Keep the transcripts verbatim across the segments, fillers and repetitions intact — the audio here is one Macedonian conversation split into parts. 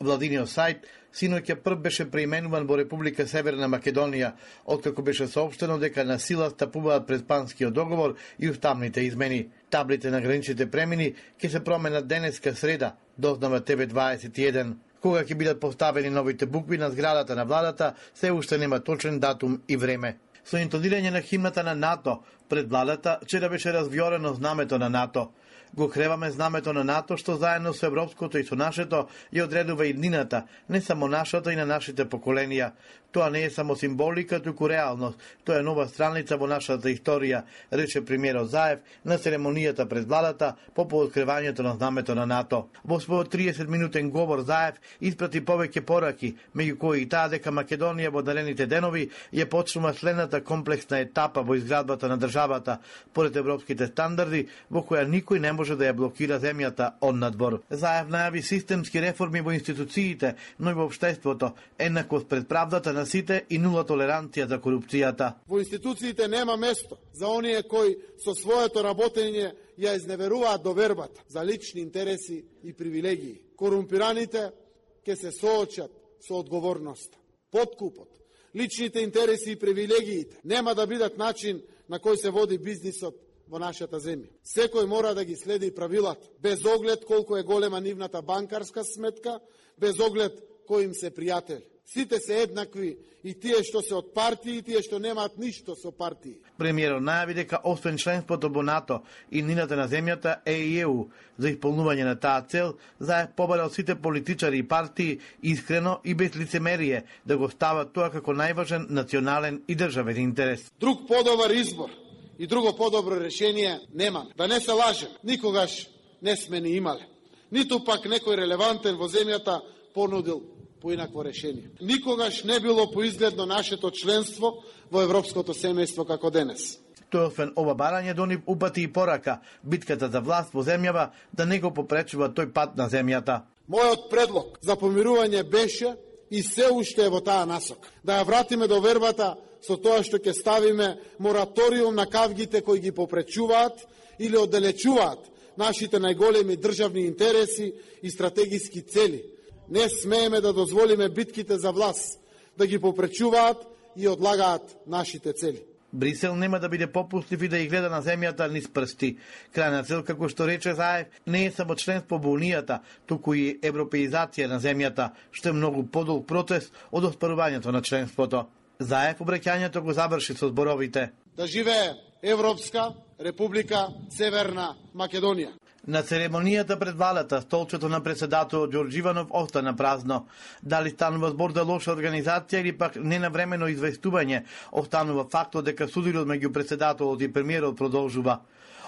Владиниот сајт синоќа прв беше преименуван во Република Северна Македонија, откако беше соопштено дека на сила стапуваат пред Панскиот договор и уставните измени. Таблите на граничните премини ќе се променат денеска среда, дознава Т В дваесет и еден. Кога ќе бидат поставени новите букви на зградата на владата, се уште нема точен датум и време. Со интонирање на химната на НАТО пред владата, вчера беше развиорено знамето на НАТО. Го креваме знамето на НАТО, што заедно со европското и со нашето ја одредува иднината, не само нашата и на нашите поколенија. Тоа не е само символика, туку реалност. Тоа е нова страница во нашата историја, рече премиерот Заев на церемонијата пред владата по пооткривањето на знамето на НАТО. Во својот триесет минутен говор Заев испрати повеќе пораки, меѓу кои и таа дека Македонија во наредните денови ја почнува следната комплексна етапа во изградбата на државата, поред европските стандарди, во која никој не може да ја блокира земјата од надвор. Заев најави системски реформи во институциите, но и во општеството, еднаквост пред правдата на сите и нула толеранција за корупцијата. Во институциите нема место за оние кои со своето работење ја изневеруваат довербата за лични интереси и привилегии. Корумпираните ќе се соочат со одговорноста. Подкупот, личните интереси и привилегиите нема да бидат начин на кој се води бизнисот во нашата земја. Секој мора да ги следи правилата, без оглед колку е голема нивната банкарска сметка, без оглед кој им се пријатели. Сите се еднакви, и тие што се од партии, и тие што немаат ништо со партии. Премиерот најави дека освен членството во НАТО и нината на земјата е и Е У. За исполнување на таа цел, Заев побарал сите политичари и партии искрено и без лицемерие да го стават тоа како најважен национален и државен интерес. Друг подобар избор и друго подобро решение нема. Да не се лажем, никогаш не сме ни имале. Ниту пак некој релевантен во земјата понудил поинакво решение. Никогаш не било поизгледно нашето членство во европското семејство како денес. Тој освен ова барање до нив упати и порака, битката за власт во земјава да не го попречува тој пат на земјата. Мојот предлог за помирување беше и се уште е во таа насока. Да ја вратиме до вербата со тоа што ќе ставиме мораториум на кавгите кои ги попречуваат или оддалечуваат нашите најголеми државни интереси и стратегиски цели. Не смееме да дозволиме битките за власт да ги попречуваат и одлагаат нашите цели. Брисел нема да биде попуслив и да ја гледа на земјата низ прсти. Крајна цел, како што рече Заев, не е само членство во Унијата, туку и европеизација на земјата, што е многу подолг процес од оспарувањето на членството. Заев обраќањето го заврши со зборовите: Да живее Европска Република Северна Македонија. На церемонијата пред владата, столчето на председателот Ѓорѓе Иванов остана празно. Дали станува збор за лоша организација или пак ненавремено известување, останува фактот дека судирот меѓу председателот и премиерот продолжува.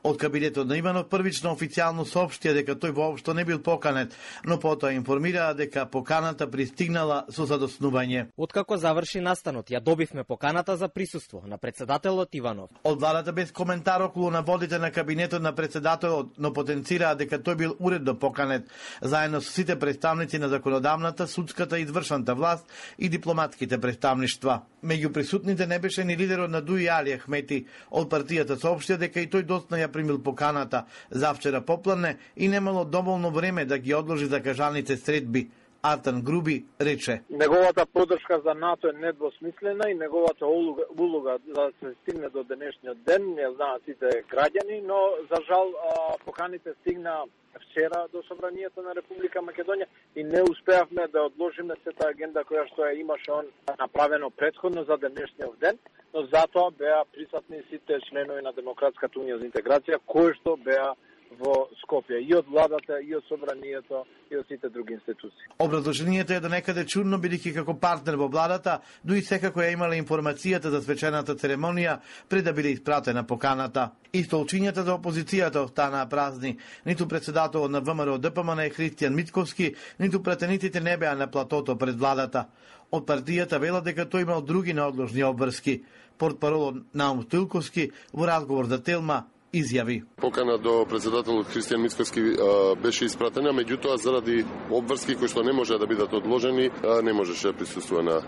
Од кабинетот на Иванов првично официјално соопштија дека тој воопшто не бил поканет, но потоа информираа дека поканата пристигнала со задоснување. Откако заврши настанот, ја добивме поканата за присуство на председателот Иванов. Од владата без коментар околу наводите на кабинетот на председателот, но потенцираа дека тој бил уредно поканет, заедно со сите представници на законодавната, судската и извршната власт и дипломатските представништва. Меѓу присутните не беше ни лидерот на Дуи Али Ахмети. Од партијата соопштија дека и тој доцна ја примил поканата завчера попладне и немало доволно време да ги одложи закажаните средби. Артан Груби рече: Неговата поддршка за НАТО е недвосмислена и неговата улога за да се стигне до денешниот ден не знаат сите граѓани, но за жал поканите стигна вчера до Собранието на Република Македонија и не успеавме да одложиме сета агенда која што ја имаше он направено претходно за денешниот ден, но затоа беа присутни сите членови на Демократската унија за интеграција кои што беа во Скопје, и од владата, и од Собранието, и од сите други институции. Образложението е до некаде чудно, бидејќи како партнер во владата, дуи секако ја имала информацијата за свечената церемонија пред да биде испратена поканата. И столчињата за опозицијата останаа празни. Ниту председателот на ВМРО Д П М Н Христијан Мицковски, ниту претениците не беа на платото пред владата. Од партијата велат дека тој имал други неодложни обврски. Портпаролот Наум Стилковски во разговор за Телма изјави: Покана до председателот Христијан Мицковски беше испратена, меѓутоа заради обврски кои што не може да бидат одложени, не можеше да присуствува на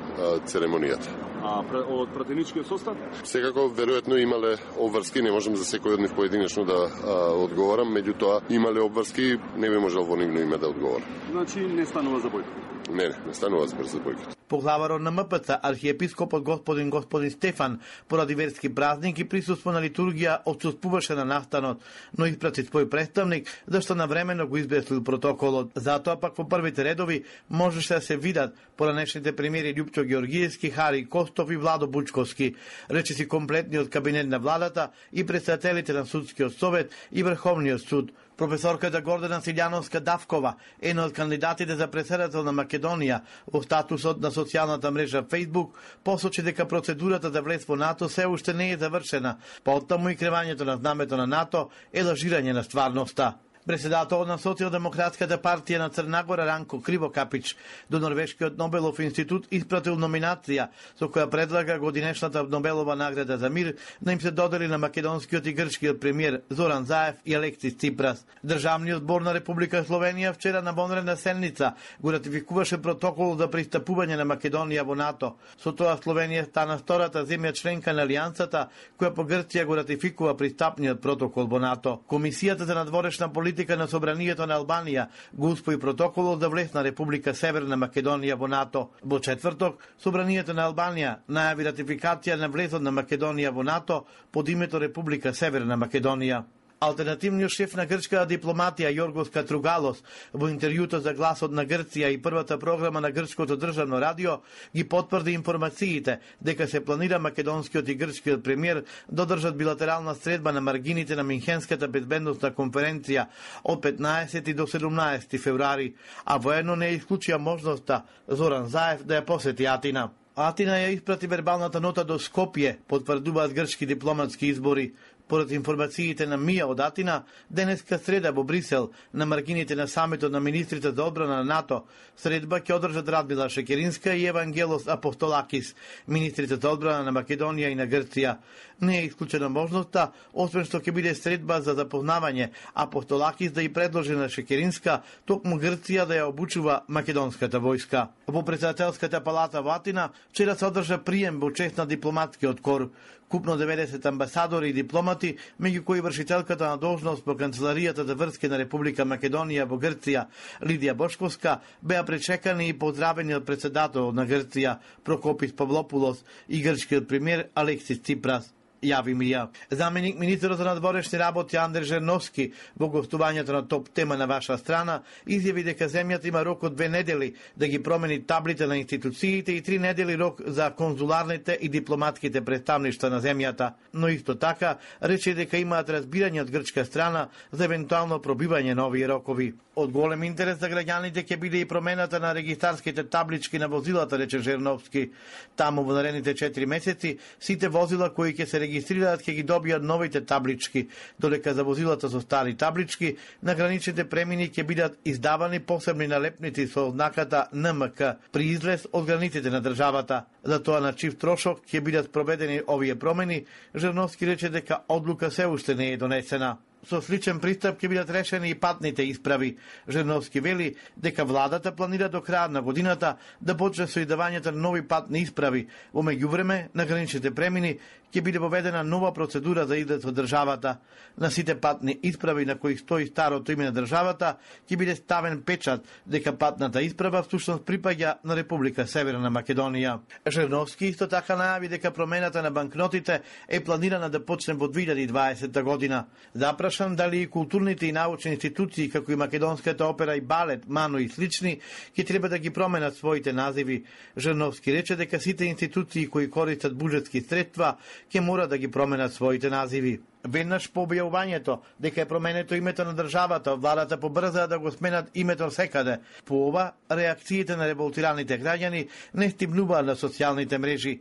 церемонијата. а од пратеничкиот состав? Секако веројатно имале обврски, не можам за секој од нив поединечно да а, одговорам, меѓутоа имале обврски, не би можел во нивно име да одговорам. Значи не станува за бојкот? Не, не, не станува за бојкот. Поглаварот на М П Ц, архиепископот господин господин Стефан, поради верски празник и присуство на литургија, отсуствуваше на настанот, но испрати свој представник, зашто навремено го избеслил протоколот. Затоа пак во првите редови можеше да се видат поранешните премиери Љупчо Георгиевски, Хари Костов и Владо Бучковски, речиси комплетниот кабинет на владата и представителите на судскиот совет и Врховниот суд. Професорката Гордана Силјановска-Давкова, една од кандидатите за председател на Македонија во статусот на социјалната мрежа Facebook, посочи дека процедурата за влез во НАТО се уште не е завршена, потаму и кревањето на знамето на НАТО е лажирање на стварноста. Председателот на Социјалдемократската партија на Црна Гора Ранко Кривокапич до Норвешкиот Нобелов институт испратил номинација со која предлага годинешната Нобелова награда за мир да им се додели на македонскиот и грчкиот премиер Зоран Заев и Алексис Ципрас. Државниот збор на Република Словенија вчера на вонредна седница го ратификуваше протокол за пристапување на Македонија во НАТО. Со тоа Словенија стана втората земја членка на алијансата која по Грција го ратификува пристапниот протокол во НАТО. Комисијата за надворешна политика на Собранието на Албанија го успои протоколот за влез на Република Северна Македонија во НАТО. Во четврток, Собранието на Албанија најави ратификација на влезот на Македонија во НАТО под името Република Северна Македонија. Алтернативниот шеф на грчката дипломатија Јоргос Катругалос во интервјуто за Гласот на Грција и првата програма на грчкото државно радио ги потврди информациите дека се планира македонскиот и грчкиот премиер да одржат билатерална средба на маргините на Минхенската безбедносна конференција од петнаесети до седумнаесети февруари, а воедно не исклучија можноста Зоран Заев да ја посети Атина. Атина ја испрати вербалната нота до Скопје, потврдуваат грчки дипломатски избори. Поред информациите на МИА од Атина, денеска среда во Брисел, на маргините на самитот на министрите за одбрана на НАТО, средба ќе одржат Радмила Шекеринска и Евангелос Апостолакис, министрите за одбрана на Македонија и на Грција. Не е исклучена можноста, освен што ќе биде средба за запознавање Апостолакис да и предложи на Шекеринска токму Грција да ја обучува македонската војска. Во председателската палата во Атина вчера се одржа прием во чест на дипломатскиот кор. Купно деветдесет амбасадори и дипломати, меѓу кои вршителката на должност по Канцеларијата за врски на Република Македонија во Грција, Лидија Бошковска, беа пречекани и поздравени од председателот на Грција, Прокопис Павлопулос, и грчкиот премиер Алексис Ципрас. Јави МИА. Заменик министерот за надворешни работи Андре Жерновски во гостувањето на топ тема на ваша страна изјави дека земјата има рок од две недели да ги промени таблите на институциите и три недели рок за конзуларните и дипломатските представништва на земјата, но исто така рече дека имаат разбирање од грчка страна за евентуално пробивање на овие рокови. Од голем интерес за граѓаните ќе биде и промената на регистарските таблички на возилата, рече Жерновски. Таму во наредните четири месеци сите возила кои ќе се регистрираат ќе ги добијат новите таблички, додека за возилата со стари таблички на граничните премини ќе бидат издавани посебни налепници со ознаката Н М К при излез од границите на државата. За тоа на чив трошок ќе бидат проведени овие промени, Жерновски рече дека одлука се уште не е донесена. Со сличен пристап ќе бидат решени и патните исправи. Жерновски вели дека владата планира до крајот на годината да почне со издавањето на нови патни исправи. Во меѓувреме, на граничните премини ќе биде воведена нова процедура за излез од државата. На сите патни исправи на кои стои старото име на државата ќе биде ставен печат дека патната исправа всушност припаѓа на Република Северна Македонија. Жерновски исто така најави дека промената на банкнотите е планирана да почне во две илјади и дваесета година. Запрашан дали и културните и научни институции како и македонската опера и балет, МАНО и слични ќе треба да ги променат своите називи. Жерновски рече дека сите институции кои користат буџетски средства ќе мора да ги променат своите називи. Веднаш по објавувањето дека е променето името на државата, владата побрза да го сменат името секаде. По ова, реакциите на револтираните граѓани не стимнуваат на социјалните мрежи.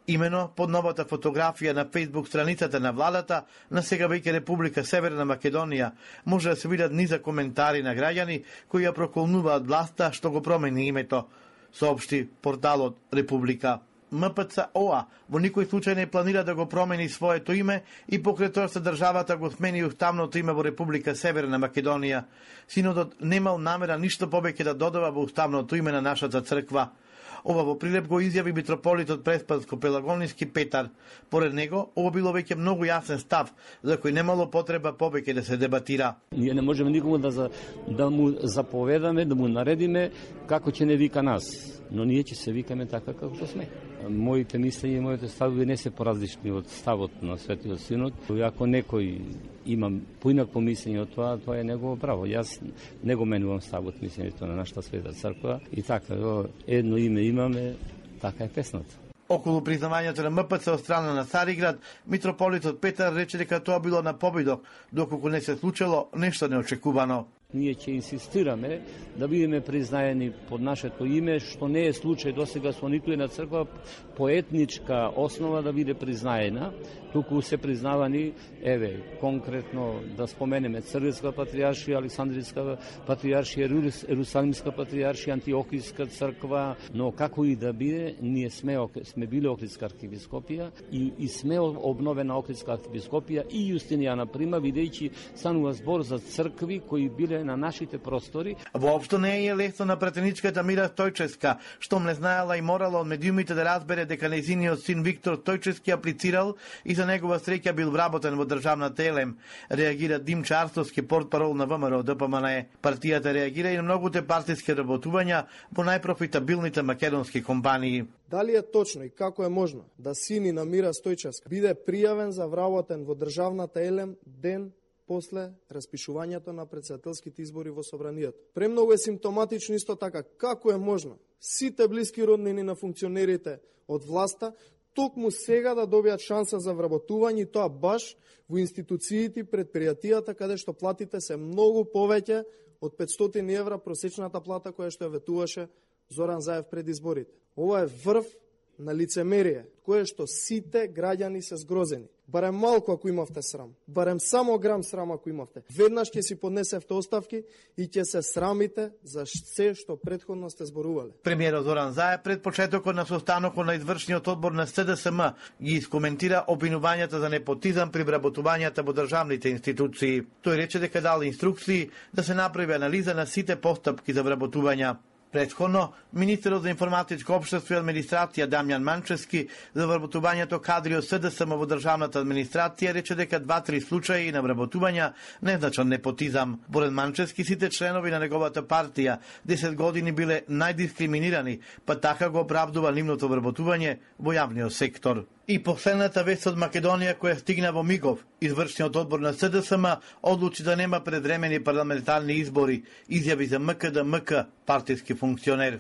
Имено под новата фотографија на Facebook страницата на владата на сега веќе Република Северна Македонија може да се видат низа коментари на граѓани кои ја проколнуваат власта што го промени името, соопшти порталот Република М П Ц О А во никој случај не планира да го промени своето име и покрај тоа што државата го смени уставното име во Република Северна Македонија. Синодот немал намера ништо повеќе да додава во уставното име на нашата црква. Ова во прилеп го изјави митрополитот Преспанско-Пелагониски Петар. Поред него, ова било веќе многу јасен став, за кој немало потреба повеќе да се дебатира. Ние не можеме никому да, за, да му заповедаме, да му наредиме како ќе не вика нас, но ние ќе се викаме така како што сме. Моите мислења и моите ставови не се поразлични од ставот на Светиот Синод. Ако некој има поинакво мислење од тоа, тоа е негово право. Јас не го менувам ставот мислењето на нашата Света црква и така, едно име имаме, така е песната. Околу признавањето на М П Ц од страна на Цариград, митрополитот Петар рече дека тоа било на победок, доколку не се случило нешто неочекувано. Ние ќе инсистираме да бидеме признаени под нашето име, што не е случај досега со ниту една црква по етничка основа да биде признаена, туку се признавани, еве, конкретно да споменеме Црвенска патријаршија, Александринска патријаршија, Ерусалимска патријаршија, Антиохијска црква, но како и да биде, ние сме сме биле Охридска архиепископија и, и сме обновена Охридска архиепископија и Јустинијана прима, бидејќи станува збор за цркви кои биле на нашите простори. Воопшто не е лесно на пратеничката Мира Стојчевска, што не знаела и морала од медиумите да разбере дека нејзиниот син Виктор Стојчевски аплицирал и за негова среќа бил вработен во државната Елем. Реагира Димчо Арстовски, портпарол на В М Р Д П М Н Е. Партијата реагира и на многуте партиски работувања во најпрофитабилните македонски компании. Дали е точно и како е можно да сини на Мира Стојчевска биде пријавен за вработен во државната Елем ден после распишувањето на претседателските избори во Собранијата? Премногу е симптоматично исто така како е можно сите блиски роднини на функционерите од власта токму сега да добијат шанса за вработување и тоа баш во институциите и предпријатијата каде што платите се многу повеќе од петстотини евра просечната плата која што ја ветуваше Зоран Заев пред изборите. Ова е врв на лицемерие, кое што сите граѓани се згрозени. Барем малку ако имавте срам, барем само грам срам ако имавте. Веднаш ќе си поднесевте оставки и ќе се срамите за се што претходно сте зборувале. Премиерот Зоран Заев пред почетокот на состанокот на извршниот одбор на С Д С М ги искоментира обвинувањата за непотизам при вработувањата во државните институции. Тој рече дека дал инструкции да се направи анализа на сите постапки за вработувања. Претходно, министерот за информатичко општество и администрација Дамјан Манчевски за вработувањето кадри од С Д С М во државната администрација рече дека два-три случаи на вработувања незначен непотизам. Поред Манчевски, сите членови на неговата партија десет години биле најдискриминирани, па така го оправдува нивното вработување во јавниот сектор. И последната вест од Македонија која стигна во мигов, извршниот одбор на С Д С М одлучи да нема предвремени парламентарни избори, изјави за М К Д М К партиски функционер.